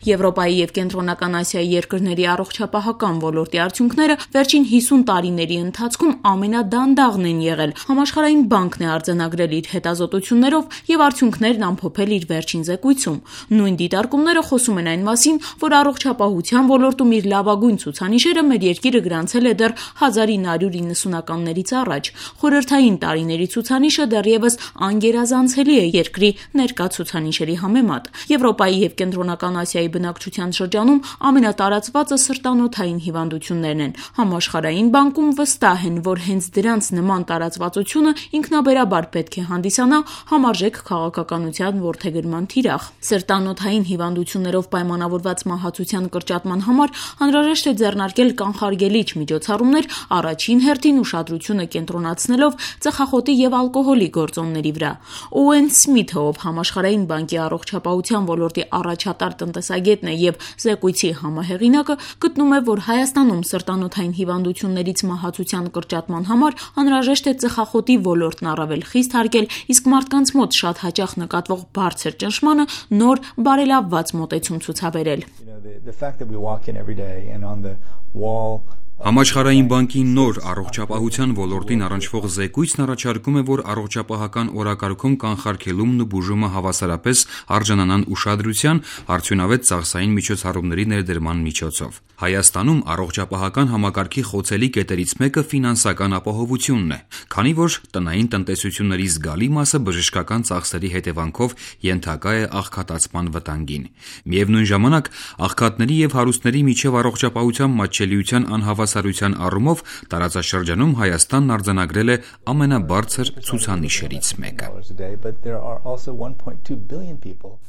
Եվրոպայի և Կենտրոնական Ասիայի երկրների առողջապահական ոլորտի արդյունքները վերջին 50 տարիների ընթացքում ամենադանդաղն են եղել։ Համաշխարհային բանկն է արձանագրել իր հետազոտություններով և արդյունքներն ամփոփել իր վերջին զեկույցում։ Նույն դիտարկումները խոսում են այն մասին, որ առողջապահության ոլորտում իր լավագույն ցուցանիշերը մեր երկիրը գրանցել է դեռ 1990-ականներից առաջ։ Խորհրդային տարիների ցուցանիշը դեռևս անգերազանցելի է երկրի ներկա ցուցանիշերի համեմատ։ Եվրոպայի և Կենտրոնական Ասիայի բնակչության շրջանում ամենատարածվածը սրտանոթային հիվանդություններն են։ Համաշխարհային բանկում վստահ են, որ հենց դրանց նման տարածվածությունը ինքնաբերաբար պետք է հանդիսանա համարժեք քաղաքականության որդեգրման թիրախ։ Սրտանոթային հիվանդություններով պայմանավորված մահացության կրճատման համար անհրաժեշտ է ձեռնարկել կանխարգելիչ միջոցառումներ, առաջին հերթին ուշադրությունը կենտրոնացնելով ծխախոտի և ալկոհոլի գործոնների վրա։ Օուեն Սմիթը, ով Համաշխարհային բանկի առողջապահության ոլորտի առաջատար տնտեսագետն է և զեկույցի համահեղինակը, գտնում է, որ Հայաստանում սրտանոթային հիվանդություններից մահացության կրճատման համար անհրաժեշտ է ծխախոտի ոլորտն առավել խիստ հարգել, իսկ մարդկանց մոտ շատ հաճախ նկատվող բարձր ճնշմանը նոր բարելավված մոտեցում ցուցաբերել։ Համաշխարհային բանկի նոր առողջապահության ոլորտին առնչվող զեկույցն առաջարկում է, որ առողջապահական օրակարգում կանխարգելումն ու բուժումը հավասարապես արժանանան ուշադրության արդյունավետ ծախսային միջոցառումների ներդրման միջոցով։ Հայաստանում առողջապահական համակարգի խոցելի կետերից մեկը ֆինանսական ապահովությունն է, քանի որ տնային տնտեսությունների զգալի մասը բժշկական ծախսերի հետևանքով ենթակա է աղքատացման վտանգին։ Միևնույն ժամանակ, աղքատների և հարուստների միջև առողջապահության մատչելիության անհավասարության առումով տարածաշրջանում Հայաստանն արձանագրել է ամենաբարձր ցուցանիշերից մեկը։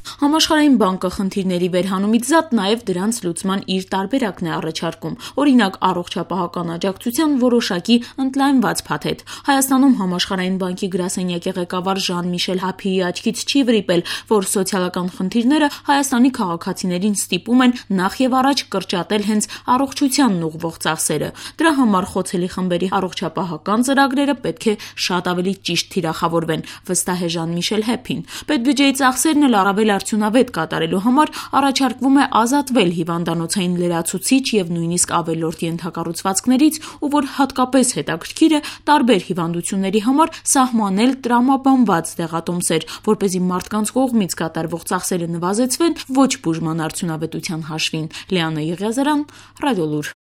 Համաշխարհային բանկը խնդիրների վերհանումից զատ նաև դրանց լուծման իր տարբերակն է առաջարկում։ Օրինակ, առողջապահական աջակցության որոշակի ընդլայնված փաթեթ։ Հայաստանում Համաշխարհային բանկի գրասենյակի ղեկավար Ժան-Միշել Հափիի աչքից չի վրիպել, որ սոցիալական խնդիրները Հայաստանի քաղաքացիներին ստիպում են նախ եւ առաջ կրճատել հենց առողջությանն ուղղվող ծախսերը։ Դրա համար խոցելի խմբերի առողջապահական ծրագրերը պետք է շատ ավելի ճիշտ թիրախավորվեն, վստահ է Ժան-Միշել Հափին։ Պետբյուջեի ծախսերն էլ առավել արդյունավետ կատարելու համար առաջարկվում է ազատվել հիվանդանոցային լրացուցիչ եւ նույնիսկ ավելորդ ենթակառուցվածքներից, ու որ հատկապես հետաքրքիր է, տարբեր հիվանդությունների համար սահմանել տրամաբանված դեղատոմսեր, որպեսզի մարդկանց կողմից կատարվող ծախսերը նվազեցվեն ոչ բուժման արդյունավետության հաշվին։ Լիանա Եղիազարյան, Ռադիոլուր։